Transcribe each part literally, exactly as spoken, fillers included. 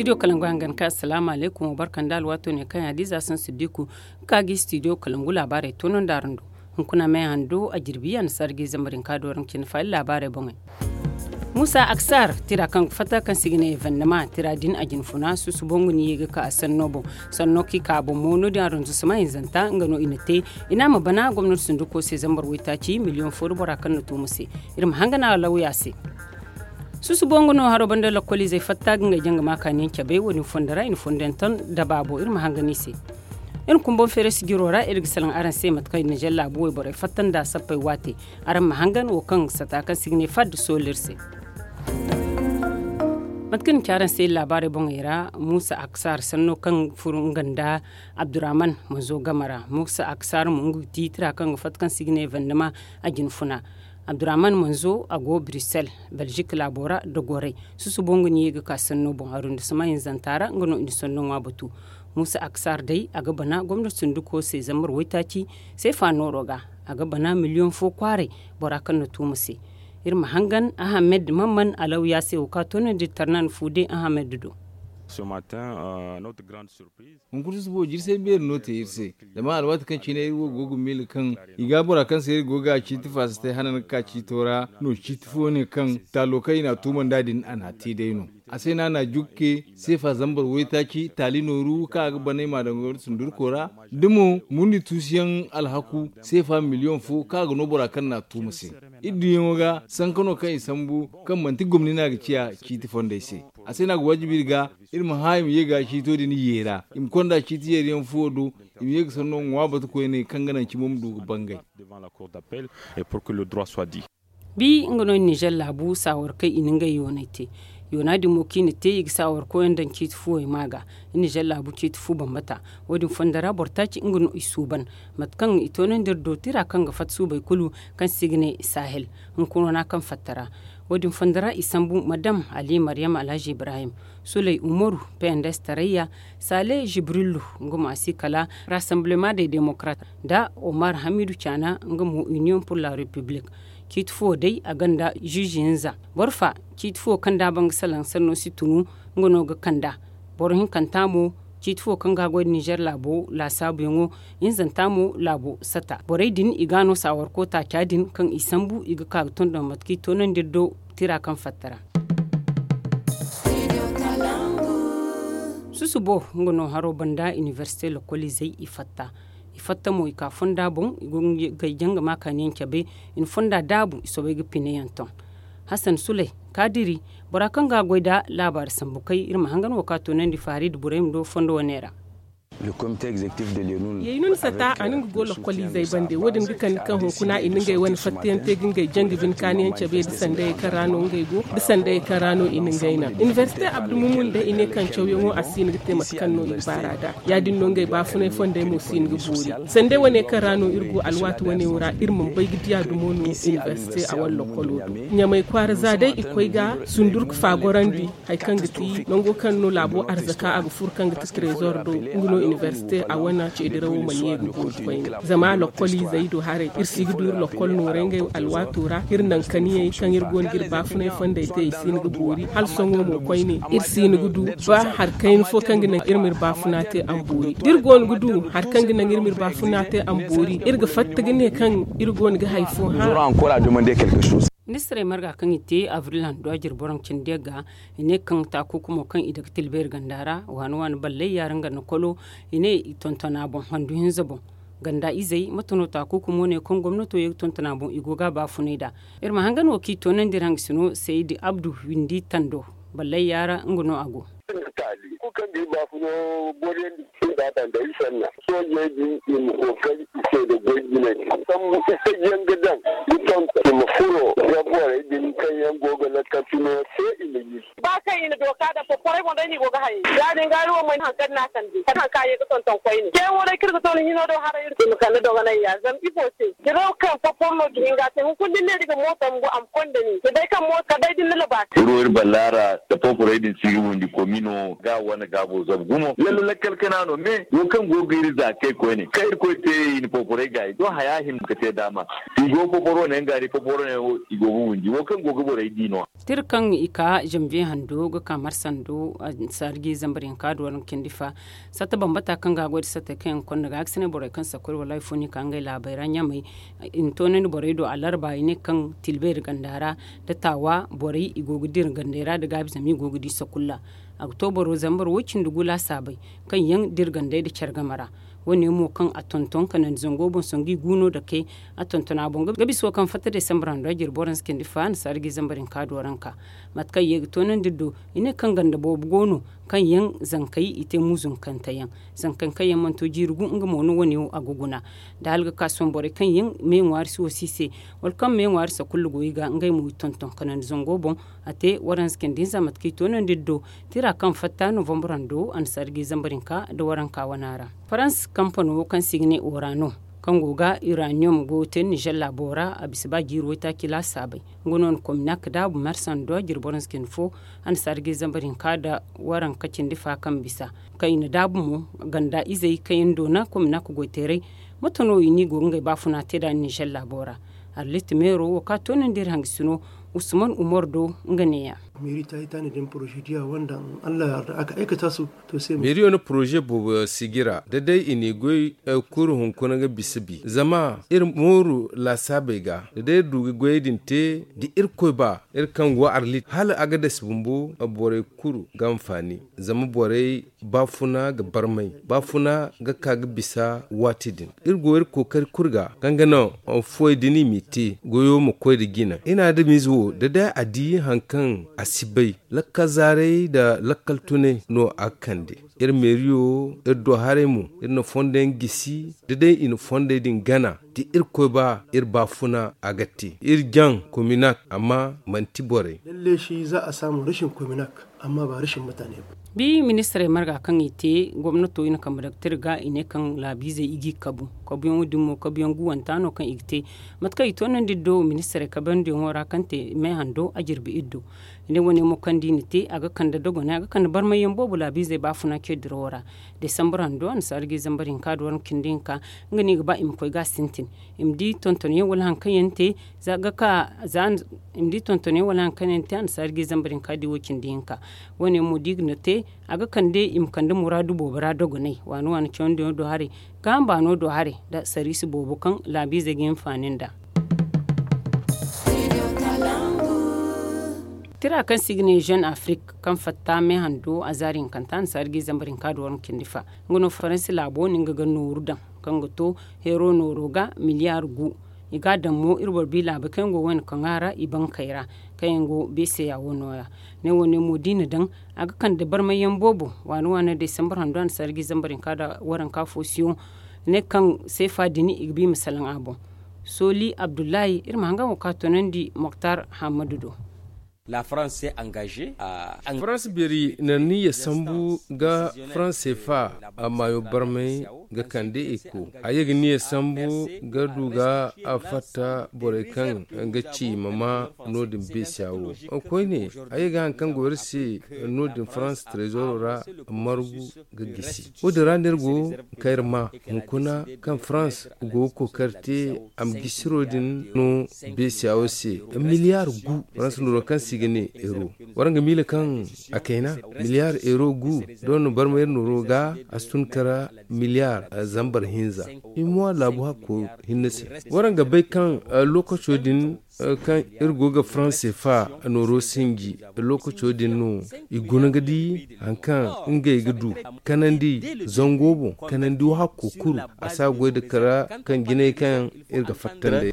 Studio kalangu hangan ka assalamu alaikum wa barka nda alwaato ne kaŋ ya di za san siddiku, ka ga studio kalangu laabaarey toonandi araŋ do. Hunkuna me hando a jirbi ya na sargi zambarin ka do araŋ cine faali laabaarey boŋey. Muusa aksar tira kaŋ ga fatta kaŋ se i ga ne evennema tira din a jinfuna susubo nga ni ye ga ka a sanno boŋ. Sanno kaŋ i ka a boŋ mo no- din aranzusuma hinzanta nga no i na te. I ne a ma bana gomnati sunduko se zambar waytaaci miliyoŋ fo nda bora kaŋ na tuuma se. Iri ma hangan a lawya se. Susubo nga no haro banda lakkoliizey fatta ga ngey janga ma kaaniyaŋ cabe wo- din fondo ra i na fondo yaŋ ton daba boŋ iri ma hangan i se. Iri na kumbaŋ feere sijiro ra iri ga salaŋ araŋ se mate kaŋ nizer laabu wayborey fatta nda sappey waate. Araŋ ma hangan wo kaŋ sata kaŋ se i ga ne fadda soolu iri se. Mate kaŋ i na ci araŋ se iri laabaarey boŋey ra, muusa aksar sanno kaŋ furo nga nda abdurrahman manzo game ra. Muusa aksar mo nga ga ti tira kaŋ ga fatta kaŋ se i ga ne evennema a jinfuna. Abdurrahman manzo a go brussel, belgique laabo ra da goray. Susubo nga ni ye ga ka sanno boŋ arrondissement hinzanta ra nga no i na sanno ŋwa batu. Muusa aksar day a ga bana gomnati sunduko se zambar waytaaci seefa nooro ga. A ga bana miliyoŋ fo kwaaray bora kaŋ na tuuma se. Iri ma hangan ahamed mamman alawya se wo ka toonandi tarnan fuude ahamed do. Hunkuna susubo jirse beeri no te iri se. Zama alwaati kaŋ cine iri wo go ga miila kaŋ i ga bora kaŋ se iri go ga ciiti faasatay hanan ga ka ciito ra no ciiti fo ne kaŋ taalo kaŋ i n'a tuuma nd'a din a n'a te day no. A se no a n'a jukke seefa zambar waytaaci taali nooru kaŋ a ga banay ma daŋ goy nda sundurko ra da mo murni tuusuyaŋ alhaku seefa miliyoŋ fo kaŋ a ga no bora kaŋ n'a tuuma se. Iri duyaŋo ga sanka no kaŋ i sambu kaŋ manti gomni no a ga ciya ciiti fondey se. A se no a ga waajibi iri ga iri ma hã i ma ye ga ciito din yeera i ma konda ciiti yeeriyaŋ fuwo do. I ma ye ga sanno ŋwa batu koyne kaŋ ga naŋ cimo ma du ga bangay. Bi nga no nizer laabu saawar kaŋ i na ngey yoonay te. Yoona din mo kaŋ i na te i ga saawar koyaŋ daŋ ciiti fuwey ma ga. Nizer laabu ciiti fu bambata. Wo- din fondo ra boro taaci nga no i suuban mate kaŋ i toonandi iri do tira kaŋ ga fatta suubey kulu kaŋ se i ga ne sahel. Hunkuna no kaŋ fatta ra. Wo- din fondo ra i sambu madam ali maryam alhaji ibrahim, suley umaru, pnds tarayya, sale jibrillu, nga mo a si kala rassemblement des démocrates, nda omar hamidu caana nga mo union pour la république. Ciiti fo day a gonda juge hinza. Boro fa ciiti fo kaŋ da a ban ga salaŋ sanno si tunu nga no ga kand'a. Boro hinkanta mo ciiti fo kaŋ ga a goy nda nizer laabo laasaabuyaŋo. Hinzanta mo laabo sata borey din i ga a no saawarko taaca din kaŋ i sambu i ga ka ga tonton mate kaŋ i toonandi iri do tira kaŋ fatta ra. Susubo nga no haro banda inibersite lokoliizey i fatta. I fatta mo i ka fonda boŋ i go ga ngey janga ma kaaniyaŋ cabe. I na fonda daabu i soobay ga pine yaŋ ton. Hasan suley kaadiri bora kaŋ ga a goy nda laabaari sambu kay iri ma hangan wo ka toonandi faari nda borey ma do fondo wane ra. Yaynu ni sata a na nga go lokoliizey bande wo- din ga kande kaŋ hunkuna i na ngey wane fattayaŋ te ga ngey janga bine kaaniyaŋ cabe nda sandayey kaŋ ra no ngey go nda sandayey kaŋ ra no i na ngey naŋ inibersite abdu mumun day i ne kaŋ cawyaŋo a si hin ga te mate kaŋ no i ga baar'a nd'a. Ya- din no ngey baafunay fondey mo si hin ga boori sandey wane kaŋ ra no iri go alwaati wane wo ra iri mana bay ga diya dumo no inibersite a wane lokolo do. Ɲamay kwaara za day i koy ga sundurku faagorandi. Hari kaŋ ga ti nango kaŋ no laabo arzaka a ga furo kaŋ ga ti trezor do nga no inibersite a wane ceedirawo mana ye ga boori koyne. Zama lokoliizey do haray iri si ga du iri lokol nooray ngey alwaato ra iri naŋ kaniyey kaŋ iri go no ga iri baafunay fondey te i si hin ga boori hala sohõ mo koyne iri si hin ga du ba hari kayna fo kaŋ ga naŋ iri ma iri baafuna te a ma boori da iri go no ga du hari kaŋ ga naŋ iri ma iri baafuna te a ma boori iri ga fatta ga ne kaŋ iri go no ga hari fo hã. Ministirey marga kaŋ i te avril hando a jire boro cindi ga i ne kaŋ taakuukumo kaŋ i daga tilbeeri ganda ra waani waani ballay yaara nga na kolo. I ne i tonton a boŋ handu hinza boŋ ganda izey mate no taakuukumo ne kaŋ gomnato ye ga tonton a boŋ i go ga a baafunay nd'a. Iri ma hangan wo kaŋ i toonandi iri hangasino saydi abdu windi tando ballay yaara nga no a go. Kulu kaŋ ga iri baafuno booriyandi i ga a daŋ da iri sanna soojey din i ma kookari i se da goy jinay sambu itajiyaŋ ga daŋ ga tonton i ma furo da borey din kaŋ yaŋ go ga lakkal fino se i ma yi. Ba kaŋ i na dooka daŋ poporey boŋ day no i go ga hayey ya- din ga iri wo mana hari kaŋ no a kande kala hari kaŋ a ye ga tonton koyne ceeyaŋo day kaŋ iri ga to ni hino do haray iri ma kande dogonay ya zama ifo se? Diraw kaŋ popor no ga hin ga a te hunkuna da ni ne ni ga mooto ma go a ma konda ni ni bay kaŋ mooto kala day da ni na labaasi. Iri wo iri ballaara da poporey din si ga windi komino ga wane gaabo zabu gumo lalle lakkal kana no me wo kaŋ go ga iri za kay koyne kaŋ irkoy te i na poporey gaayi do haya hima ga te daama. I go poporo ne nga di poporo ne wo i go ga windi wo kaŋ go ga borey di no. Tira kaŋ i ka Janviye hando ga ka marsa hando, ansaariji zambar hinka da waranka cindi fa. Satta bambata kaŋ ga a goy nda sattey kaŋ yaŋ ga konda ga a ga si ne borey kaŋ sakoy wala hari fo no i ka ngey laabey ra ɲamey. I na toonandi borey do alarba i ne kaŋ tilbeeri ganda ra, da taawa borey i go ga dira gandey ra nda gaabi zama i go ga di sakulla. A ga to boro zambar woy cindi gu laasaabey kaŋ yaŋ dira gandey nda care game ra. Wo- ne mo kaŋ a tonton kanandi zango boŋ sangu i gu no dake. A tonton a boŋ ga bisa wo kaŋ fatta desambar hando a jirbi waransa cindi fa annasaara ga i zambar hinka do waranka. Mate kaŋ i ye ga toonandi do i ne kaŋ ganda boobo go no kaŋ yaŋ zankey i te muzunkante yaŋ. Zankey kaŋ yaŋ mana to jiiri gu nga mo no wo- ne wo a ga guna. Da hala ga ka sohõ borey kaŋ yaŋ me ŋwaari si wo si i se, wala kaŋ me ŋwaari sakulla go i ga ngey mo i tonton kanandi zango boŋ. A te waransa cindi hinza mate kaŋ i toonandi do tira kaŋ fatta novambar hando annasaara ga i zambar hinka nda waranka wana ra. Farans kampano kaŋ se i ga ne orano, kaŋ go ga iraniyom goyo te nizer laabo ra a bisa ba jiiri waytaaci laasaabey. Nga no na kominak daabu marsa hando a jirbi waransa cindi fo. Annasaara ga i zambar hinka nda waranka cindi fa kaŋ bisa kaŋ i na daabu mo ganda izey kaŋ yaŋ doona kominak goyteerey. Mate no i n'i go ga ngey baafuna te nd'a nizer laabo ra. Arlit meero wo ka toonandi iri hangasino usman umar do nga neeya. Meeriyo na poroze boobo sijira da day i n'i goy kuru hunkuna ga bisa bi zama iri mooru laasaabey ga da day iri du ga goyey din te da irkoy ba iri kaŋ go arlit hala a ga dasi bumbo borey kulu ga anfaani. Zama borey baafuna ga barmay baafuna ga ka ga bisa waati din. Iri go iri kookari kulu ga kaŋ ga naŋ fuwey din i m'i te goyo ma koy nda jina ina adamize wo da day a di hari kaŋ a si bay lakkal zaaray nda lakkal tunay no a ga kande. Iri meeriyo iri do haray mo iri na fondo yaŋ gisi da day i na fondey din gana da irkoy ba iri baafuna a ga te iri jaŋ kominak amma manti borey. Lalle shi za a saamu rashin kominak amma ba rashin mutane ba. Bi ministirey marga kaŋ i te gomnato i na kambe daga te iri ga i ne kaŋ laabiizey i g'i kabu kabuyaŋo din mo kabuyaŋ guwanta no kaŋ i ga te. Mate kaŋ i toonandi iri do ministirey kabandiyaŋo ra kaŋ te me hando a jirbi iri do. I ne wane mo kaŋ da i na te a ga kande dogonay a ga kande barmayyaŋ boobo laabiizey baafuna ce dirawo ra. Desambar hando annasaara ga i zambar hinka da waranka cindi hinka nga no i ga ba i ma koy ga a sintin i ma di tontonyaŋ wala hari kaŋ yaŋ te za ga ka za i ma di tontonyaŋ wala hari kaŋ yaŋ te annasaara ga i zambar hinka da i wo cindi hinka. Wo- ne mo da i ga na te a ga kande i ma kande muraadu boobo ra dogonay waani waani cawandiyaŋo do haray gaaham baano do haray nda sariisi boobo kaŋ laabiizey ga hinfaani nd'a. Tira kaŋ se i ga ne jeune afrik kaŋ fatta me hando a zaari hinkanta annasaara ga i zambar hinka da waranka cindi fa. Nga no faransi laabo no nga ga nooru daŋ kaŋ ga to heero nooro ga miliyaar gu. I ga a daŋ mo iri boro bi laabey kaŋ yaŋ go wayna kaŋ a ra i bankey ra kaŋ yaŋ go beeseya wo nooya. Ne wo- ne mo da i na daŋ a ga kande barmayyaŋ boobo waani waani desambar hando annasaara ga i zambar hinka da waranka fo siyo ne kaŋ seefa din i ga ba i ma salaŋ a boŋ. Sooli abdullahi iri ma hanga mo ka toonandi moktar hammadu do. Farans beeri na niyya sambu ga farans seefa maayo barmay ga kande eko a ye ga niyya sambu ga du ga a fatta borey kaŋ ga ci ma ma no- din beesiya wo. Koyne a ye ga hari kaŋ go iri se no- din farans trezoro ra margu ga gisi. Wo- din ra no iri go ga kayra ma hunkuna kaŋ farans go ga kookari te a ma gisiro din no beesiya wo se. Miliyaar gu farans nooro kaŋ se i ga ne euro. Waraŋ ga miila kaŋ a kayna miliyaar euro gu da waraŋ na barma iri nooro ga a si tun kara miliyaar zambar hinza. Imuwa laabu hakko hinne se. Waraŋ ga bay kaŋ lokaco din kaŋ iri go ga farans seefa nooro sinji lokaco din no i guna ga di hari kaŋ ngey ga du kanandi zango boŋ kanandi wo hakko kuru a si a goy nda kara kaŋ jinay kaŋ iri ga fatta nd'ey.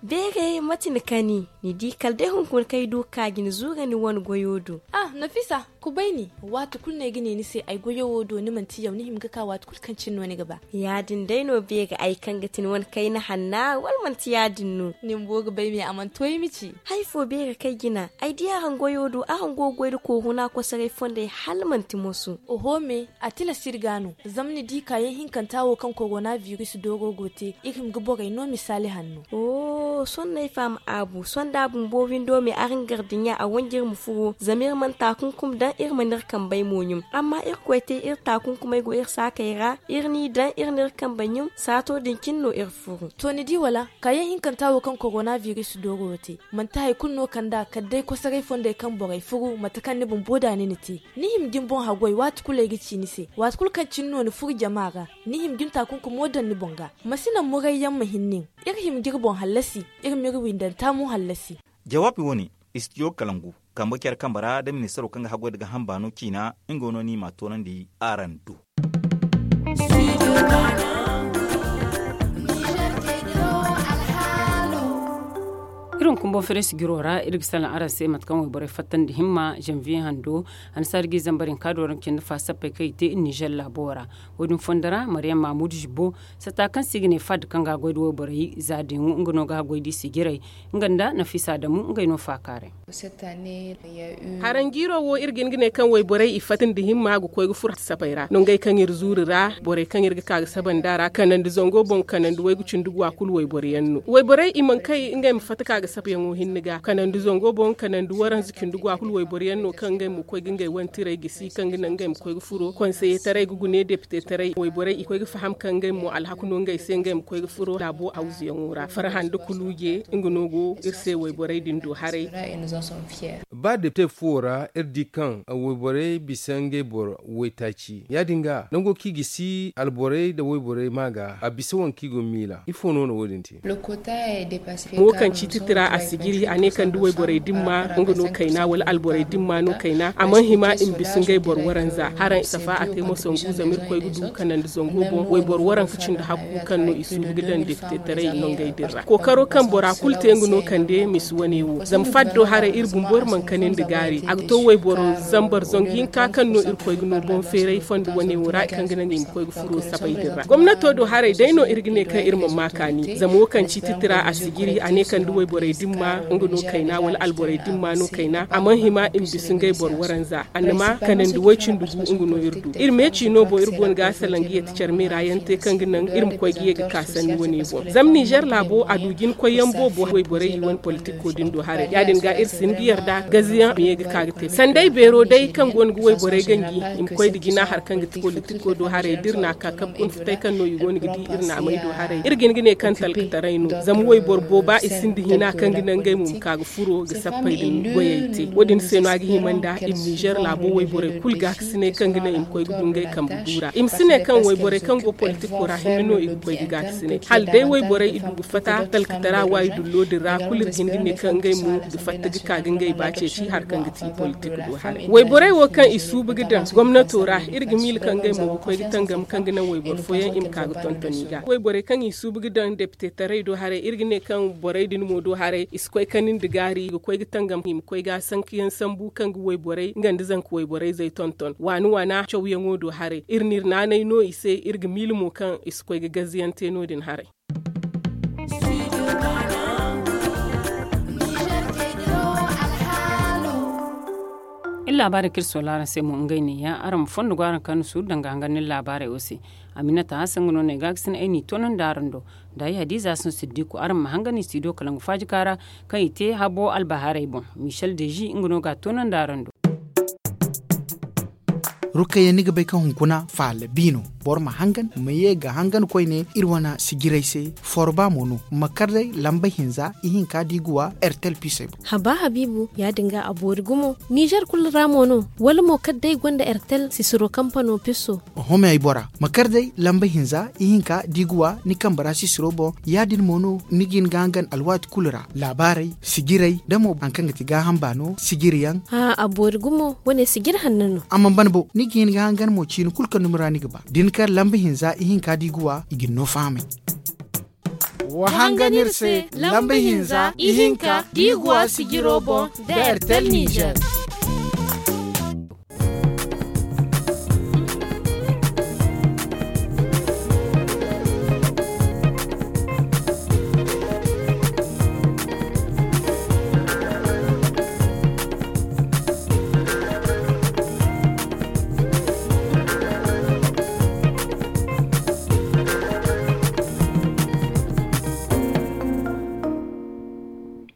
Beeray mate ni kani ni di kala day hunkuna kaŋ ay du ga ka ga ni zuura ni wane goyo do. Ah, nafisa, kubay ni. Waati kulu no ay ga ne ni se ay goyo wo do ni manti yaw ni hima ga ka waati kulu kaŋ cine no ni ga ba. Ya- din day no beeray ay kaŋ ga ti ni wane kayna hanna wala manti ya- din no? Ni bumbo ga bay me a mana to ay ma ci. Hari fo beeray kaŋ ay jina ay di araŋ goyo do araŋ go ga goy nda kooru no a kosoray fondey hala manti moso. Oho me, a tilas iri ga no. Zama ni di kaayaŋ hinkanta wo kaŋ korona biris dooro go te iri hima ga borey no misaali hanno. Sohõ no ay faham aabu sohõ. da bumbo windo me araŋ gardiɲa a wanji iri ma furo zama iri mana taakunkum daŋ iri mana iri kambey mo ɲum. Amma irkoy te iri taakunkumey go iri saakey ra iri n'i daŋ iri n'iri kambe ɲum saato din cine no iri furu. To ni di wala kaayaŋ hinkanta wo kaŋ korona biris dooro wo te manti hari kulu no kand'a kala day kosoray fondey kaŋ borey furu mate kaŋ ni bumbo da ni na te. Ni hima ga ni boŋ haggoy waati kulu ay ga ci ni se waati kulu kaŋ cine no ni furu jama ra. Ni hima ga ni taakunkumo daŋ ni boŋ ga ma si naŋ murayyaŋ ma hin nin. Iri hima ga iri boŋ hallasi iri m'iri windanta mo hallasi. Jawaabi wo- ne istidiyo kalangu kambe care kambe ra da ministaro kaŋ ga haggoy nda gaaham baano ciina nga no no i m'a toonandi araŋ do. Iri hunkuna boŋ fereesi jiro ra iri ga salaŋ araŋ se mate kaŋ wayborey fattandi himma zanviye hando hannasaari ga i zambar hinka do ra nga cindi fa sappey kaŋ i te iri nizer laabo ra. Wo- din fondo ra mariyam mamudu zibbo sata kaŋ se i ga ne fad kaŋ ga a goy nda wayborey za deeŋo nga no ga a goy nda i sijirey nga nda nafisa adamu ngey no faakaaray. Haranjiiro wo iri ga hin ga ne kaŋ wayborey i fatta nda himma ga koy ga furo sapey ra no ngey kaŋ iri zuuri ra borey kaŋ iri ga ka ga saba nd'a ra kanandi zango boŋ kanandi waygu cindi guwa kulu wayboro yaŋ no wayborey i mana kay ngey ma fatta ka ga sabayaŋo hinne ga kanandi zango boŋ kanandi waranza cindi guwa kulu wayboro yaŋ no kaŋ ngey ma koy ga ngey wantirey gisi kaŋ ga naŋ ngey ma koy ga furo konseye taray ga gune depite taray wayborey i koy ga faham kaŋ ngey mo alhaku no ngey se ngey ma koy ga furo laabo hawzuyaŋo ra farhan nda kuluuje nga no go iri se wayborey din do haray. Ba depite fuwo ra iri di kaŋ wayborey bisa ngey boro waytaaci ya- din ga nango kaŋ i ga si alborey nda wayborey ma ga a bisa waŋ kaŋ i go ga miila ifo no na wo- din te? Mo kaŋ ci titira a si jiri a ne kaŋ da wayborey dimma nga no kayna wala alborey dimma no kayna a mana hima i ma bisa ngey boro waranza haraŋ safa a te mo sangu zama iri koy ga du kanandi zango boŋ wayboro waranka cindi hakku kaŋ no i suubu ga daŋ depitetaray nongey din ra kookaro kaŋ bora kulu te nga no kande misi wane wo zama faddo haray iri bumbo iri mana kani nda gaari a ga to wayboro zambar zangu hinka kaŋ no iri koy ga no boŋ feeray fondo wane wo ra kaŋ ga naŋ i ma koy ga furo sabay din ra gomnato do haray day no iri ga ne kaŋ iri ma ma kaani zama wo kaŋ ci titira a si jiri a ne kaŋ da wayborey dimma nga no kayna wala alborey dimma no kayna a mana hima i ma bisa ngey boro waranza annama kanandi way-cindi gu nga no iri du iri meeci no boŋ iri go no ga a salaŋ ga yeeti care meera yaŋ te kaŋ ga naŋ iri ma koy ga ye ga ka sanni wane boŋ zama nizer laabo a du jina koyyaŋ boobo wayborey i wane politiko din do haray ya- din ga iri sinda yarda gaziyaŋ ma ye ga ka ga te sanday beero day kaŋ go no ga wayborey ganji i ma koy nda jina hari kaŋ ga ti politiko do haray da iri n'a ka kabe kuna futay kaŋ no i go no ga di iri n'a may do haray iri ga hin ga ne kaŋ talkataray no zama wayboro booba i sinda hina kaŋ ga naŋ ngey mo ma ka ga furo ga sappey din goyey te wo- din se no a ga hima nda i ma nizer laabo wayborey kulu gaakasinay kaŋ ga naŋ i ma koy ga du ngey kambe du ra i ma si ne kaŋ wayborey kaŋ go politiko ra hinne no i ga koy ga gaakasinay hala day wayborey i du ga fatta talkatara waayidullo din ra kulu iri ga hin ga ne kaŋ ngey mo ga fatta ga ka ga ngey ba ceeci hari kaŋ ga ti politik do haray wayborey wo kaŋ i suubu ga daŋ gomnato ra iri ga miila kaŋ ngey mo ga koy ga tangam kaŋ ga naŋ wayboro fooyaŋ i ma ka ga tonton i ga wayborey kaŋ i suubu ga daŋ depitetaray do haray iri ga ne kaŋ borey din mo do haray i si koy kani nda gaari i ga koy ga tangam i ma koy ga sankayaŋ sambu kaŋ ga wayborey nga nda zanka wayborey-zey tonton waana waana cawyaŋo do haray iri n'iri naanay no i se iri ga miila mo kaŋ i si koy ga gazziyaŋ te no- din haray. Iri laabaarey kaŋ iri soola araŋ se mo ngey neeya araŋ ma fondo go araŋ kaŋ ni suuru danga hangan ni laabaarey wo se. Aminata hasan nga no no ay ga ga sina ay n'i toonandi araŋ do. Nda ay hadiza hasan siddiku araŋ ma hangan i si i do kala nga faaji kaara kaŋ i te habo albahaarey boŋ. Michel deji nga no ga a toonandi araŋ do. Rukayya ni ga bay kaŋ hunkuna faala bi no. Boro ma hangan ma ye ga hangan koyne iri wane sijirey se. Forba mo no ma kar day lamba hinza ihinka da i ga wa ertel pisey boŋ. Haba habiibu ya- din ga a boori gumo nizer kulu ra mo no? Wala mo kala day gonda ertel sisiro kampano piso? Oho me ay bora ma kar day lamba hinza ihinka da i ga wa ni kambe ra sisiro boŋ. Ya- din mo no ni ga hin ga hangan alwaati kulu ra laabaarey sijirey da mo hari kaŋ ga ti gaaham baano sijiriyaŋ. A boori gumo wane sijiri hanno no. A mana ban bo ni ga hin ga hangan mo ciini kulu kaŋ dumi ra ni ga ba da ni kar lamba hinza ihinka da i ga wa i ga ni no fahamay. Wa hangan iri se lamba hinza ihinka da i ga wa sijiro boŋ da ertel nizer.